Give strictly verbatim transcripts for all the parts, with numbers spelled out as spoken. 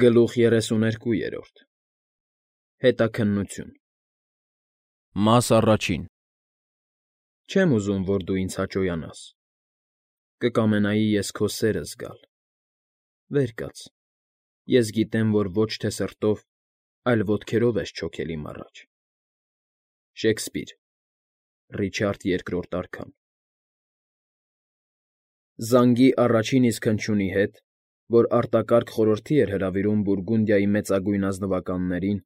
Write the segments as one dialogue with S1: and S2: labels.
S1: Գլուխ երեսուներկուերորդ Հետաքննություն Մաս առաջին Չեմ ուզում, որ դու ինձ հաճոյանաս, կկամենայի ես քո սերը զգալ, վեր կաց, ես գիտեմ, որ ոչ թե սրտով, այլ ոտքերով ես չոքել իմ առաջ, Շեքսպիր, Ռիչարդ Երկրորդ արքան Զանգի առաջին իսկ հնչյունի հետ, որ արտակարգ խորհրդի էր հրավիրում Բուրգունդիայի մեծագույն ազնվականներին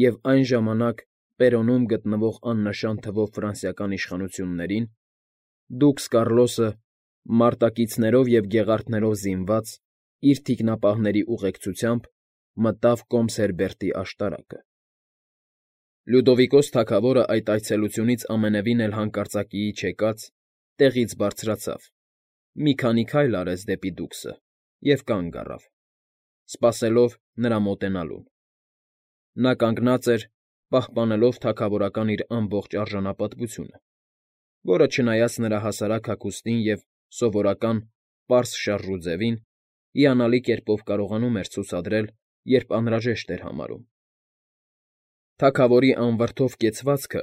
S1: և այն ժամանակ Պերոնում գտնվող աննշան թվով ֆրանսիական իշխանություններին, դուքս Կառլոսը, մարտակիցներով և գեղարդներով զինված, իր թիկնապահների ուղեկցությամբ մտավ կոմս Հերբերտի աշտարակը։ Լյուդովիկոս թագավորը այդ այցելությունից ամենևին էլ հանկարծակիի չեկած, տեղից բարձրացավ, մի քանի քայլ արեց դեպի դուքսը և կանգ առավ, սպասելով նրա մոտենալուն։ Նա կանգնած էր, պահպանելով թագավորական իր ամբողջ արժանապատվությունը, որը, չնայած նրա հասարակ հագուստին և սովորական պարզ շարժուձևին, հիանալի կերպով կարողանում էր ցուցադրել, երբ անհրաժեշտ էր համարում։ Թագավորի անվրդով կեցվածքը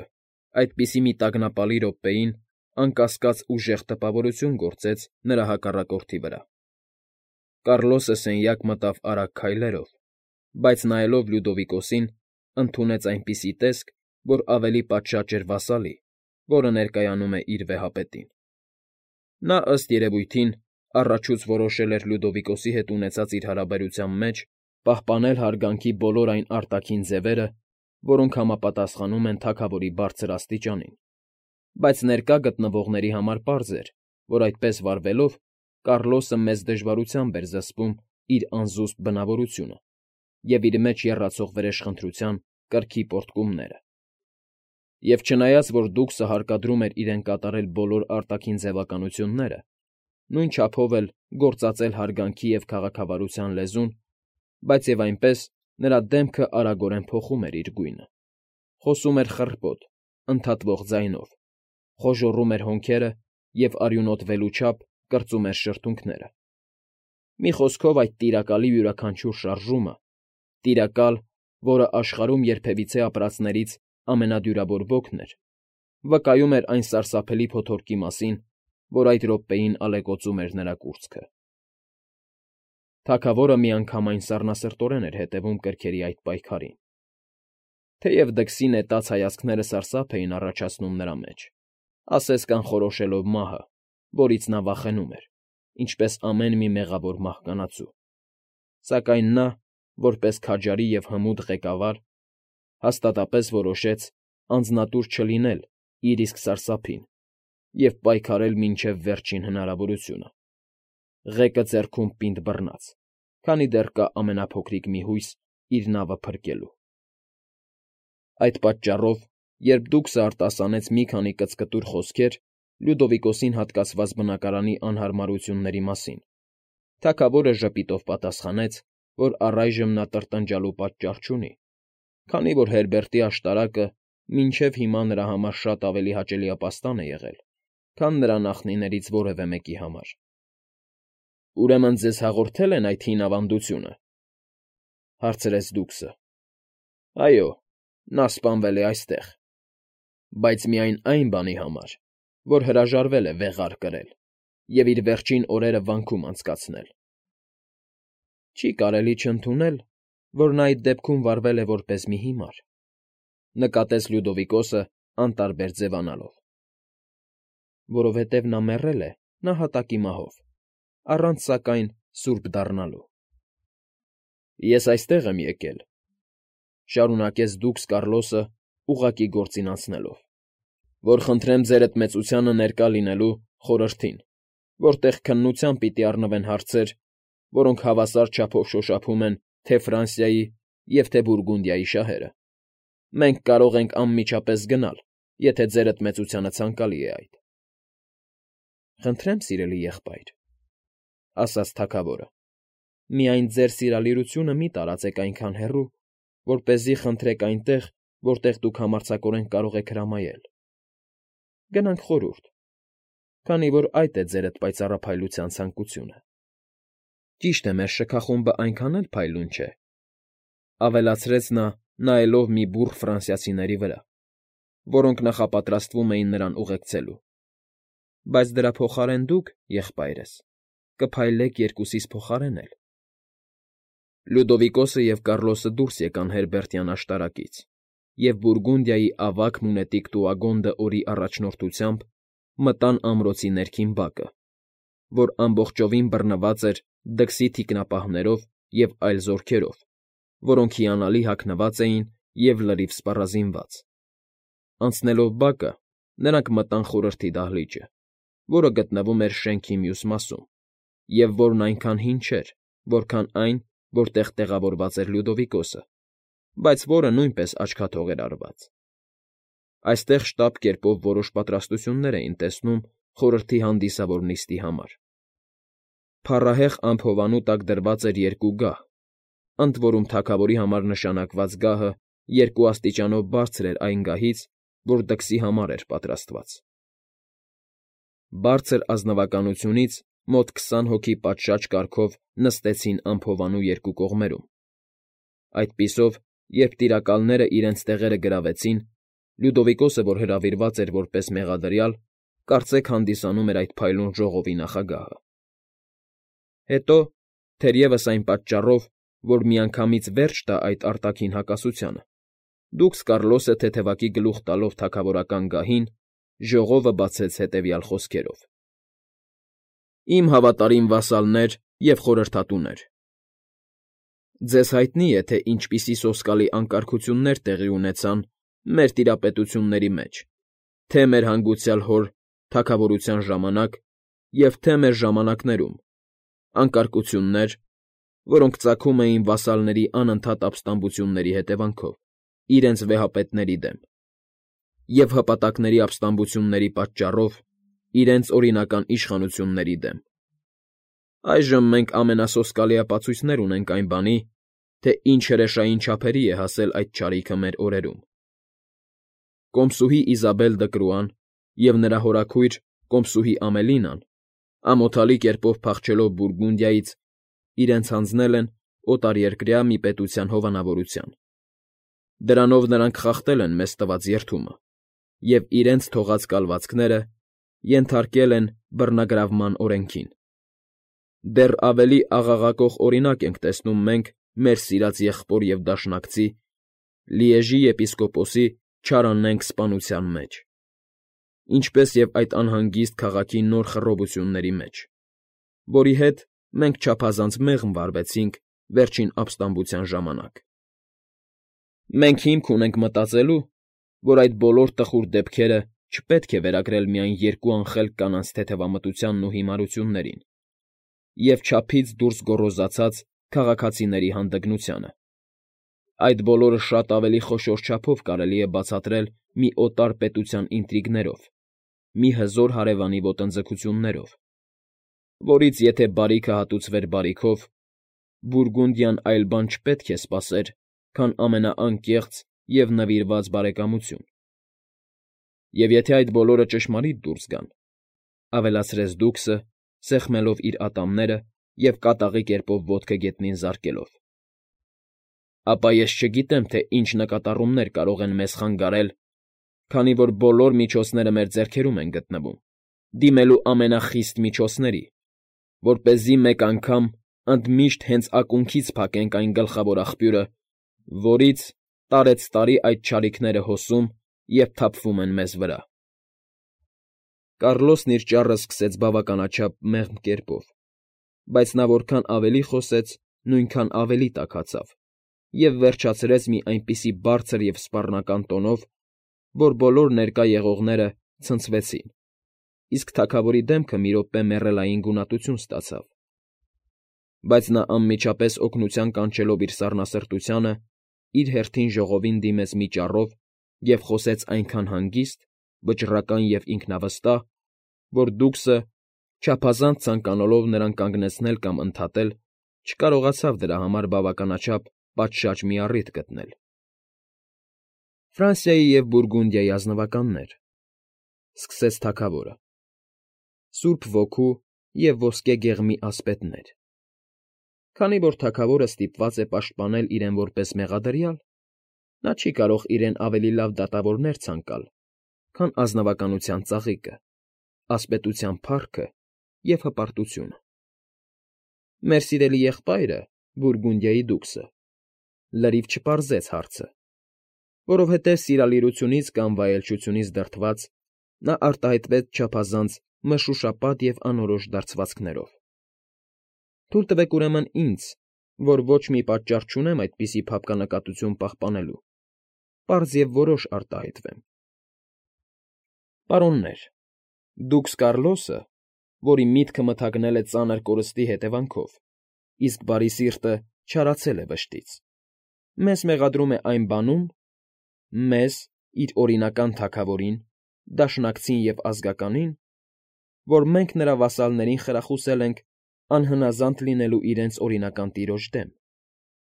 S1: այդպիսի մի տագնապալի րոպեին անկասկած ուժեղ տպավորություն գործեց նրա հակառակորդի վրա։ Կառլոսը սենյակ մտավ արագ քայլերով, բայց նայելով Լյուդովիկոսին, ընդունեց այնպիսի տեսք, որ ավելի պատշաճ էր վասալի, որը ներկայանում է իր վեհապետին։ Նա, ըստ երևույթին, առաջուց որոշել էր Լյուդովիկոսի հետ ունեցած իր հարաբերության մեջ պահպանել հարգանքի բոլոր այն արտաքին ձևերը, որոնք համապատասխանում են թագավորի բարձր աստիճանին, բայց ներկա գտնվողների համար պարզ էր, որ այդպես վարվելով Կառլոսը մեծ դժվարությամբ էր զսպում իր անզուսպ բնավորությունը և իր մեջ եռացող վրեժխնդրության կրքի պոռթկումները։ Եվ չնայած որ դուքսը հարկադրում էր իրեն կատարել բոլոր արտաքին ձևականությունները, նույն չափով էլ գործածել հարգանքի և քաղաքավարության լեզուն, բայց և այնպես նրա դեմքը արագորեն փոխում էր իր գույնը, խոսում էր խռպոտ, ընդհատվող ձայնով, խոժոռում էր հոնքերը և արյունոտվելու չափ կրծում էր շրթունքները։ Մի խոսքով, այդ տիրակալի յուրաքանչյուր շարժումը, տիրակալ, որը աշխարհում երբևիցե ապրածներից ամենադյուրավոր ոգն էր, վկայում էր այն սարսափելի փոթորկի մասին, որ այդ րոպեին ալեկոծում էր նրա կուրծքը։ Թագավորը միանգամայն սառնասրտորեն էր հետևում կրքերի այդ պայքարին, թեև դքսի նետած հայացքները սարսափ էին առաջացնում նրա մեջ, ասես կանխորոշելով մահը, որից նա վախենում էր, ինչպես ամեն մի մեղավոր մահկանացու, սակայն նա, որպես քաջարի և հմուտ ղեկավար, հաստատապես որոշեց անձնատուր չլինել իր իսկ սարսափին և պայքարել մինչև վերջին հնարավորությունը, ղեկը ձեռքում պինդ բռնած, քանի դեռ կա ամենափոքրիկ մի հույս իր նավը փրկելու։ Այդ պատճառով, երբ դուքսը արտասանեց մի քանի կծկտուր խոսքեր Լյուդովիկոսին հատկացված բնակարանի անհարմարությունների մասին, թագավորը ժպիտով պատասխանեց, որ առայժմ նա տրտնջալու պատճառ չունի, քանի որ Հերբերտի աշտարակը մինչև հիմա նրա համար շատ ավելի հաճելի ապաստան է եղել, քան նրա նախնիներից որևէ մեկի համար։ ֊ Ուրեմն ձեզ հաղորդե՞լ են այդ հին ավանդությունը,֊ հարցրեց դուքսը։ ֊ Այո, նա սպանվել է այստեղ, բայց միայն այն բանի համար, որ հրաժարվել է վեղար կրել և իր վերջին օրերը վանքում անցկացնել։ ֊ Չի կարելի չընդունել, որ նա այդ դեպքում վարվել է որպես մի հիմար,֊ նկատեց Լյուդովիկոսը անտարբեր ձևանալով,֊ որովհետև նա մեռել է նահատակի մահով, առանց, սակայն, սուրբ դառնալու։ ֊ Ես այստեղ եմ եկել,֊ շարունակեց դուքս Կառլոսը ուղղակի գործին անցնելով,֊ որ խնդրեմ ձերդ մեծությանը ներկա լինելու խորհրդին, որտեղ քննությամբ պիտի առնվեն հարցեր, որոնք հավասար չափով շոշափում են թե Ֆրանսիայի և թե Բուրգունդիայի շահերը։ Մենք կարող ենք անմիջապես գնալ, եթե ձերդ մեծությանը ցանկալի է այդ։ ֊ Խնդրեմ, սիրելի եղբայր,֊ ասաց թագավորը,֊ միայն ձեր սիրալիրությունը մի տարածեք այնքան հեռու, որպեսզի խնդրեք այնտեղ, որտեղ դուք համարձակորեն կարող եք հրամայել։ Գնանք խորհուրդ, քանի որ այդ է ձերդ պայծառափայլության ցանկությունը։ Ճիշտ է, մեր շքախումբը այնքան էլ փայլուն չէ,֊ ավելացրեց նա, նայելով մի բուռ ֆրանսիացիների վրա, որոնք նախապատրաստվում էին նրան ուղեկցելու,֊ բայց դրա փոխարեն դուք, եղբայրս, կփայլեք երկուսիս փոխարեն էլ… Լյուդովիկոսը և Կառլոսը դուրս եկան Հերբերտյան աշտարակից, և Բուրգունդիայի ավագ մունետիկ տուագոնդը Օրի առաջնորդությամբ մտան ամրոցի ներքին բակը, որ ամբողջովին բռնված էր դքսի թիկնապահներով և այլ զորքերով, որոնք հիանալի հագնված էին և լրիվ սպառազինված. անցնելով բակը՝ նրանք մտան խորհրդի դահլիճը, որը գտնվում էր շենքի մյուս մասում, և որն այնքան հին չէր, որքան այն, որտեղ տեղավորված էր Լյուդովիկոսը, բայց որը նույնպես աչքաթող էր արված. այստեղ շտապ կերպով որոշ պատրաստություններ էին տեսնում խորհրդի հանդիսավոր նիստի համար. փառահեղ ամփոփանու տակ դրված էր երկու գահ, ընդ որում թագավորի համար նշանակված գահը երկու աստիճանով բարձր էր այն գահից, որ դքսի համար էր պատրաստված. բարձր ազնվականությունից մոտ քսան հոգի պատշաճ կարգով նստեցին ամփոփանու երկու կողմերում. այդպիսով, երբ տիրակալները իրենց տեղերը գրավեցին, Լյուդովիկոսը, որ հրավիրված էր որպես մեղադրյալ, կարծեք հանդիսանում էր այդ փայլուն ժողովի նախագահը. հետո, թերևս այն պատճառով, որ միանգամից վերջ տա այդ արտաքին հակասությանը, դուքս Կառլոսը թեթևակի գլուխ տալով թագավորական գահին, ժողովը բացեց հետևյալ խոսքերով. «Իմ հավատարիմ վասալներ և խորհրդատուներ, ձեզ հայտնի է, թե ինչպիսի սոսկալի անկարգություններ տեղի ունեցան մեր տիրապետությունների մեջ թե՛ մեր հանգուցյալ հոր թագավորության ժամանակ և թե՛ մեր ժամանակներում, անկարգություններ, որոնք ծագում էին վասալների անընդհատ ապստամբությունների հետևանքով իրենց վեհապետների դեմ և հպատակների ապստամբությունների պատճառով իրենց օրինական իշխանությունների դեմ… Այժմ մենք ամենասոսկալի ապացույցներ ունենք այն բանի, թե ինչ հրեշային չափերի է հասել այդ չարիքը մեր օրերում… Կոմսուհի Իզաբել Դկրուան և նրա հորաքույր կոմսուհի Ամելինան, ամոթալի կերպով փախչելով Բուրգունդիայից, իրենց հանձնել են օտարերկրյա մի պետության հովանավորության. դրանով նրանք խախտել են մեզ տված երդումը և իրենց թողած կալվածքները ենթարկել են բռնագրավման օրենքին… Դեռ ավելի աղաղակող օրինակ ենք տեսնում մենք մեր սիրած եղբոր և դաշնակցի՝ Լիեժի եպիսկոպոսի չարանենգ սպանության մեջ, ինչպես և այդ անհանգիստ քաղաքի նոր խռովությունների մեջ, որի հետ մենք չափազանց մեղմ վարվեցինք վերջին ապստամբության ժամանակ… Մենք հիմք ունենք մտածելու, որ այդ բոլոր տխուր դեպքերը չպետք է վերագրել միայն երկու անխելք կանանց թեթևամտությանն ու հիմարություններին և չափից դուրս գոռոզացած քաղաքացիների հանդգնությանը… Այդ բոլորը շատ ավելի խոշոր չափով կարելի է բացատրել մի օտար պետության ինտրիգներով, մի հզոր հարևանի ոտնձգություններով, որից եթե բարիքը հատուցվեր բարիքով, Բուրգունդիան այլ բան չպետք է սպասեր, քան ամենաանկեղծ և նվիրված բարեկամություն… Եվ եթե այդ բոլորը ճշմարիտ դուրս գան,֊ ավելացրեց դուքսը, սեղմելով իր ատամները և կատաղի կերպով ոտքը գետնին զարկելով,֊ ապա ես չգիտեմ, թե ինչ նկատառումներ կարող են մեզ խանգարել, քանի որ բոլոր միջոցները մեր ձեռքերում են գտնվում, դիմելու ամենախիստ միջոցների, որպեսզի մեկ անգամ ընդմիշտ հենց ակունքից փակենք այն գլխավոր աղբյուրը, որից տարեցտարի այդ չարիքները հոսում և թափվում են մեզ վրա… Կառլոսն իր ճառը սկսեց բավականաչափ մեղմ կերպով, բայց նա որքան ավելի խոսեց, նույնքան ավելի տաքացավ և վերջացրեց մի այնպիսի բարձր և սպառնական տոնով, որ բոլոր ներկա եղողները ցնցվեցին, իսկ թագավորի դեմքը մի րոպե մեռելային գունատություն ստացավ… Բայց նա անմիջապես օգնության կանչելով իր սառնասրտությանը, իր հերթին ժողովին դիմեց մի ճառով և խոսեց այնքան հանգիստ, վճռական և ինքնավստահ, որ դուքսը, չափազանց ցանկանալով նրան կանգնեցնել կամ ընդհատել, չկարողացավ դրա համար բավականաչափ պատշաճ մի առիթ գտնել. «Ֆրանսիայի և Բուրգունդիայի ազնվականներ,֊ սկսեց թագավորը,֊ Սուրբ Ոգու և ոսկե գեղմի ասպետներ, Քանի որ թագավորը ստիպված է պաշտպանել իրեն որպես մեղադրյալ, նա չի կարող իրեն ավելի լավ դատավորներ ցանկալ, քան ազնվականության ծաղիկը, ասպետության փառքը և հպարտությունը։ Մեր սիրելի եղբայրը, Բուրգունդիայի դուքսը, լրիվ չպարզեց հարցը, որովհետև սիրալիրությունից կամ վայելչությունից դրդված նա արտահայտվեց չափազանց մշուշապատ և անորոշ դարձվածքներով։ Թույլ տվեք ուրեմն ինձ, որ ոչ մի պատճառ չունեմ այդպիսի փափկանակատություն պահպանելու, պարզ և որոշ արտահայտվեմ։ Պարոններ, դուքս Կարլոսը, որի միտքը մթագնել է ծանր կորստի հետևանքով, իսկ բարի սիրտը չարացել է վշտից, մեզ մեղադրում է այն բանում, մեզ, իր օրինական թագավորին, դաշնակցին և ազգականին, որ մենք նրա վասալներին խրախուսել ենք անհնազանդ լինելու իրենց օրինական տիրոջ դեմ,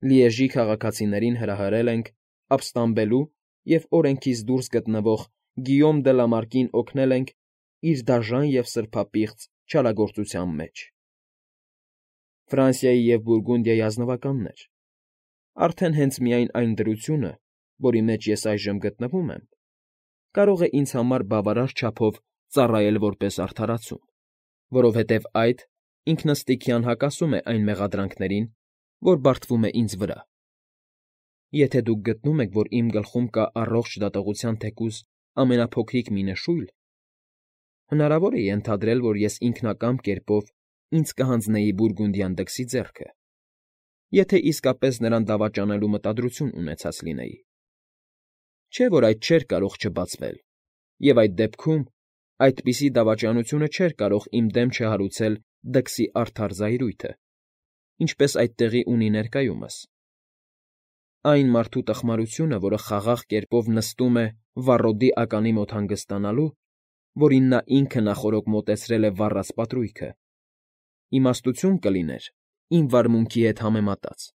S1: Լիեժի քաղաքացիներին հրահրել ենք ապստամբելու և օրենքից դուրս գտնվող Գիյոմ դը Լամարկին օգնել ենք իր դաժան և սրբապիղծ չարագործության մեջ։ Ֆրանսիայի և Բուրգունդիայի ազնվականներ, արդեն հենց միայն այն դրությունը, որի մեջ ես այժմ գտնվում եմ, կարող է ինձ համար բավարար չափով ծառայել որպես արդարացում, որովհետև այդ ինքնըստինքյան հակասում է այն մեղադրանքներին, որ բարդվում է ինձ վրա։ Եթե դուք գտնում եք, որ իմ գլխում կա առողջ դատողության թեկուզ ամենափոքրիկ մի նշույլ, հնարավոր է ենթադրել, որ ես ինքնակամ կերպով ինձ կհանձնեի Բուրգունդյան դքսի ձեռքը, եթե իսկապես նրան դավաճանելու մտադրություն ունեցած լինեի։ Չէ՞ որ այդ չէր կարող չբացվել, և այդ դեպքում այդպիսի դավաճանությունը չէր կարող իմ դեմ չհարուցել դքսի արդար զայրույթը, ինչպես այդ տեղի ունի ներկայումս։ Այն մարդու տխմարությունը, որը խաղաղ կերպով նստում է վառոդի ականի մոտ հանգստանալու, որին նա ինքը նախօրոք մոտեցրել է վառած պատրույգը, իմաստություն կլիներ իմ վարմունքի հետ համեմատած։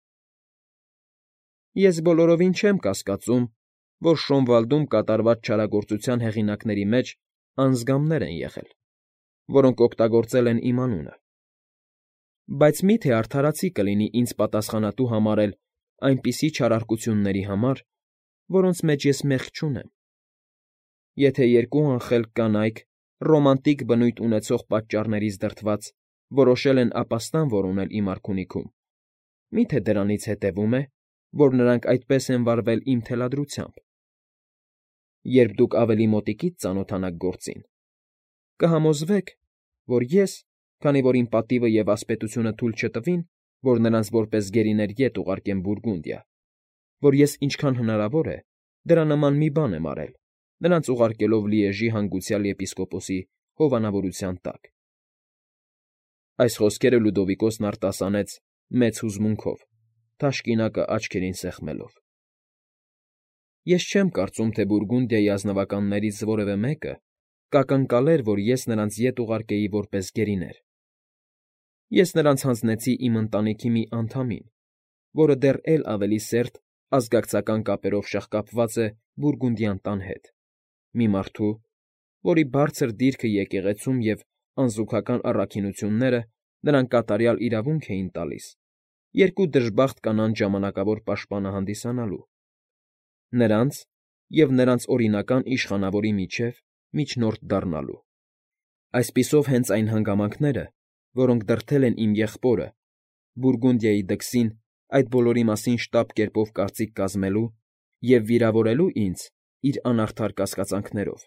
S1: Ես բոլորովին չեմ կասկածում, որ Շոնվալդում կատարված չարագործության հեղինակների մեջ անձգամներ են եղել, որոնք օգտագործել են իմ անունը։ Բայց մի՞թե արդարացի կլինի ինձ պատասխանատու համարել այնպիսի չարարկությունների համար, որոնց մեջ ես մեղք չունեմ։ Եթե երկու անխելք կանայք ռոմանտիկ բնույթ ունեցող պատճառներից դրդված որոշել են ապաստան որոնել իմ արքունիքում, մի՞թե դրանից հետևում է, որ նրանք այդպես են վարվել իմ թելադրությամբ։ Երբ դուք ավելի մոտիկից ծանոթանաք գործին, կհամոզվեք, որ ես, քանի որ իմ պատիվը և ասպետությունը թույլ չտվին, որ նրանց որպես գերիներ ետ ուղարկեմ Բուրգունդիա, որ ես ինչքան հնարավոր է դրա նման մի բան եմ արել, նրանց ուղարկելով Լիեժի հանգուցյալ եպիսկոպոսի հովանավորության տակ։ Այս խոսքերը Լյուդովիկոսն արտասանեց մեծ հուզմունքով, թաշկինակը աչքերին սեղմելով։ Ես չեմ կարծում, թե Բուրգունդիայի ազնվականներից որևէ մեկը կակնկալեր, որ ես նրանց ետ ուղարկեի որպես գերիներ։ Ես նրանց հանձնեցի իմ ընտանիքի մի անդամին, որը դեռ էլ ավելի սերտ ազգակցական կապերով շաղկապված է Բուրգունդյան տան հետ, մի մարդու, որի բարձր դիրքը եկեղեցում և անզուգական առաքինությունները նրան կատարյալ իրավունք էին տալիս երկու դժբախտ կանանց ժամանակավոր պաշտպանը հանդիսանալու, նրանց և նրանց օրինական իշխանավորի միջև միջնորդ դառնալու։ Այսպիսով հենց այն հանգամանքները, որոնք դրդել են իմ եղբորը, Բուրգունդիայի դքսին այդ բոլորի մասին շտապ կերպով կարծիք կազմելու և վիրավորելու ինձ իր անարդար կասկածանքներով,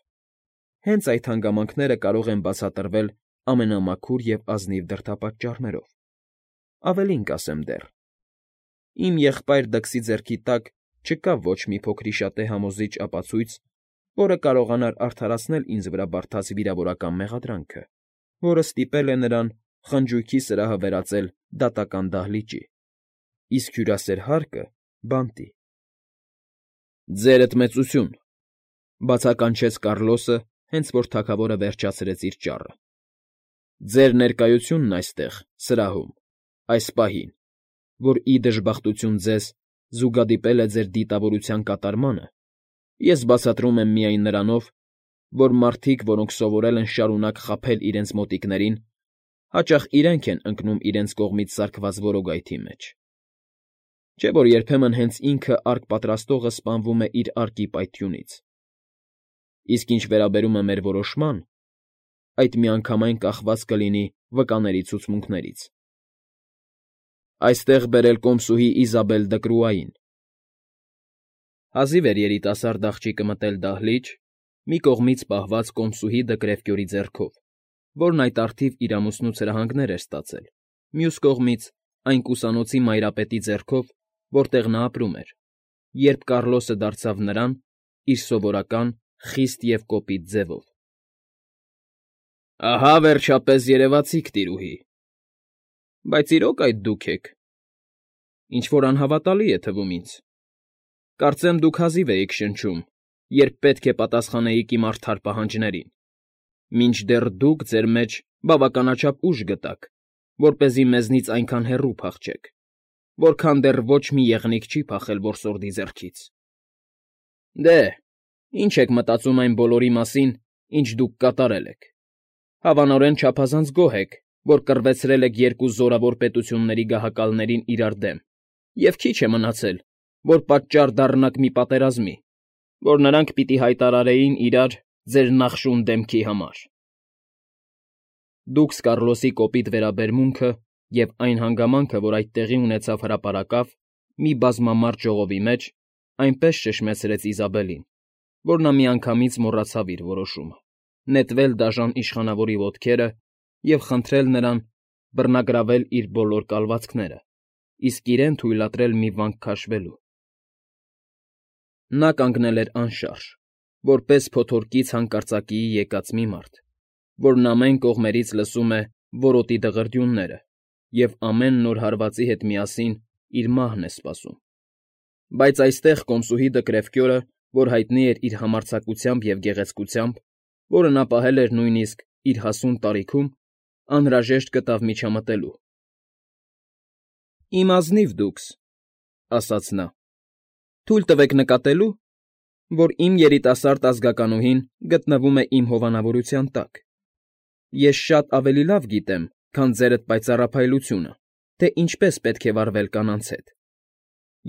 S1: հենց այդ հանգամանքները կարող են բացատրվել ամենամաքուր և ազնիվ դրդապատճառներով։ Ավելին կասեմ դեռ. իմ եղբայր դքսի ձեռքի տակ չկա ոչ մի փոքրիշատե համոզիչ ապացույց, որը կարողանար արդարացնել ինձ վրա բարդած վիրավորական մեղադրանքը, որը ստիպել է նրան խնջույքի սրահը վերածել դատական դահլիճի, իսկ հյուրասեր հարկը՝ բանտի։ ֊ Ձերդ մեծություն,֊ բացականչեց Կարլոսը, հենց որ թագավորը վերջացրեց իր ճառը,֊ ձեր ներկայությունն այստեղ, սրահում, այս պահին, որ, ի դժբախտություն ձեզ, զուգադիպել է ձեր դիտավորության կատարմանը, ես բացատրում եմ միայն նրանով, որ մարդիկ, որոնք սովորել են շարունակ խաբել իրենց մոտիկներին, հաճախ իրենք են ընկնում իրենց կողմից սարքված որոգայթի մեջ։ Չէ՞ որ երբեմն հենց ինքը արկ պատրաստողը սպանվում է իրարկի պայթյունից։ Իսկ ինչ վերաբերում է մեր որոշման, այդ միանգամայն կախված կլինի վկաների ցուցմունքներից։ Այստեղ բերել կոմսուհի Իզաբել Դկրուային։ Հազիվ էր երիտասարդ աղջիկը մտել դահլիճ, մի կողմից պահված կոմսուհի Դկրևկյորի ձեռքով, որն այդ առթիվ իր ամուսնու ցրահանգներ էր ստացել, մյուս կողմից այն կուսանոցի մայրապետի ձեռքով, որտեղ նա ապրում էր, երբ Կառլոսը դարձավ նրան իր սովորական խիստ և կոպիտ ձևով։ ֊ Ահա, վերջապես, երևացիք, տիրուհի, բայց իրո՞ք այդ դուք եք։ Ինչ֊որ անհավատալի է թվում ինձ։ Կարծեմ դուք հազիվ էիք շնչում, երբ պետք է պատասխանեիք իմ արդար պահանջներին, մինչդեռ դուք ձեր մեջ բավականաչափ ուժ գտաք, որպեսզի մեզնից այնքան հեռու փախչեք, որքան դեռ ոչ մի եղնիկ չի փախել որսորդի ձեռքից։ Դե, ի՞նչ եք մտածում այն բոլորի մասին, ինչ դուք կատարել եք։ Հավանորեն չափազանց գոհ եք, որ կռվեցրել եք երկու զորավոր պետությունների գահակալներին իրար դեմ, և քիչ է մնացել, որ պատճառ դառնաք մի պատերազմի, որ նրանք պիտի հայտարարեին իրար ձեր նախշուն դեմքի համար։ Դուք Կառլոսի կոպիտ վերաբերմունքը և այն հանգամանքը, որ այդ տեղի ունեցավ հրապարակավ, մի բազմամարդ ժողովի մեջ, այնպես շշմեցրեց Իզաբելին, որ նա միանգամից մոռացավ իր որոշումը՝ նետվել դաժան իշխանավորի ոտքերը և խնդրել նրան բռնագրավել իր բոլոր կալվածքները, իսկ իրեն թույլատրել մի վանք քաշվելու։ Նա կանգնել էր անշարժ, որպես փոթորկից հանկարծակիի եկած մի մարդ, որն ամեն կողմերից լսում է որոտի դղրդյունները և ամեն նոր հարվածի հետ միասին իր մահն է սպասում։ Բայց այստեղ կոմսուհի Դկրևկյորը, որ հայտնի էր իր համարձակությամբ և գեղեցկությամբ, որը նա պահել էր նույնիսկ իր հասուն տարիքում, անհրաժեշտ գտավ միջամտելու։ ֊ Իմ ազնիվ դուքս,֊ ասաց նա,֊ թույլ տվեք նկատելու, որ իմ երիտասարդ ազգականուհին գտնվում է իմ հովանավորության տակ։ Ես շատ ավելի լավ գիտեմ, քան ձերդ պայծառափայլությունը, թե ինչպես պետք է վարվել կանանց հետ,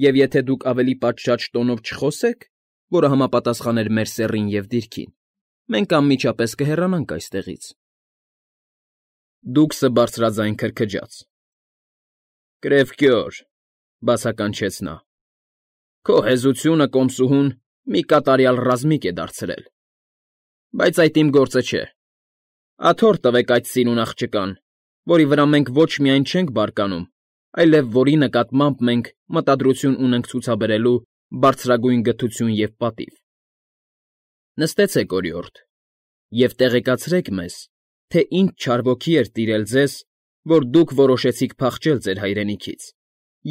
S1: և եթե դուք ավելի պատշաճ տոնով չխոսեք, որը համապատասխաներ մեր սեռին և դիրքին, մենք անմիջապես կհեռանանք այստեղից։ Դուքսը բարձրաձայն քրքջաց։ ֊ Կրևկյոր,֊ բացականչեց նա,֊ քո հեզությունը կոմսուհուն մի կատարյալ ռազմիկ է դարձրել, բայց այդ իմ գործը չէ։ Աթոռ տվեք այդ սիրուն աղջկան, որի վրա մենք ոչ միայն չենք բարկանում, այլև որի նկատմամբ մենք մտադրություն ունենք ցուցաբերելու բարձրագույն գթություն և պատիվ։ Նստեցեք, օրիորդ, և տեղեկացրեք մեզ, թե ինչ չար ոգի էր տիրել ձեզ, որ դուք որոշեցիք փախչել ձեր հայրենիքից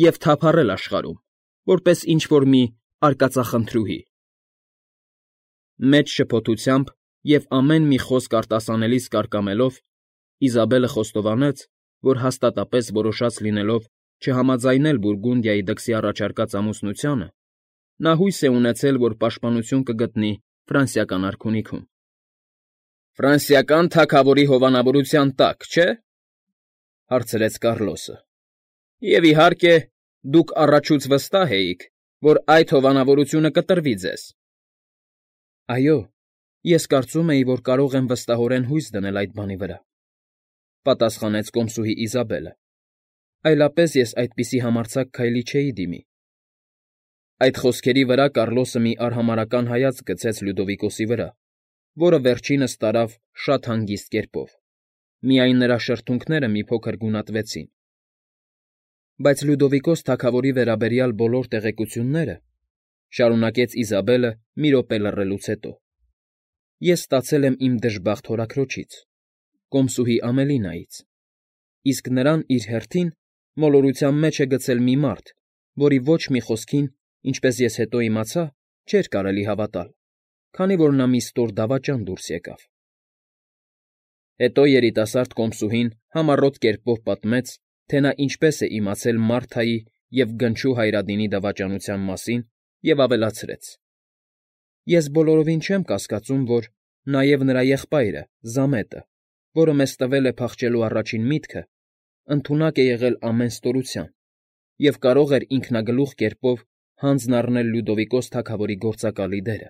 S1: և թափառել աշխարհում, որպես ինչ֊որ մի արկածախնդրուհի։ Մեծ շփոթությամբ և ամեն մի խոսք արտասանելիս կարկամելով, Իզաբելը խոստովանեց, որ հաստատապես որոշած լինելով չհամաձայնել Բուրգունդիայի դքսի առաջարկած ամուսնությանը, նա հույս է ունեցել, որ պաշտպանություն կգտնի ֆրանսիական արքունիքում։ ֊ Ֆրանսիական թագավորի հովանավորության տակ, չէ՞, ֊ հարցրեց Կառլոսը։ ֊ Եվ, իհարկե, դուք առաջուց վստահ էիք, որ այդ հովանավորությունը կտրվի ձեզ։ ֊ Այո, ես կարծում էի, որ կարող եմ վստահորեն հույս դնել այդ բանի վրա,֊ պատասխանեց կոմսուհի Իզաբելը,֊ այլապես ես այդպիսի համարձակ քայլի չէի դիմի։ Այդ խոսքերի վրա Կառլոսը մի արհամարհական հայացք գցեց Լյուդովիկոսի վրա, որը վերջինս տարավ շատ հանգիստ կերպով, միայն նրա շրթունքները մի փոքր գունատվեցին։ Բայց Լյուդովիկոս թագավորի վերաբերյալ բոլոր տեղեկությունները,֊ շարունակեց Իզաբելը մի րոպե լռելուց հետո,֊ ես ստացել եմ իմ դժբախտ հորաքրոջից, կոմսուհի Ամելինայից, իսկ նրան իր հերթին մոլորության մեջ է գցել մի մարդ, որի ոչ մի խոսքին, ինչպես ես հետո իմացա, չէր կարելի հավատալ, քանի որ նա մի ստոր դավաճան դուրս եկավ։ Հետո երիտասարդ կոմսուհին համառոտ կերպով պատմեց, թե նա ինչպես է իմացել Մարթայի և գնչու Հայրադինի դավաճանության մասին և ավելացրեց. Ես բոլորովին չեմ կասկածում, որ նաև նրա եղբայրը՝ Զամետը, որը մեզ տվել է փախչելու առաջին միտքը, ընդունակ է եղել ամեն ստորության և կարող էր ինքնագլուխ կերպով հանձն առնել Լյուդովիկոս թագավորի գործակալի դերը։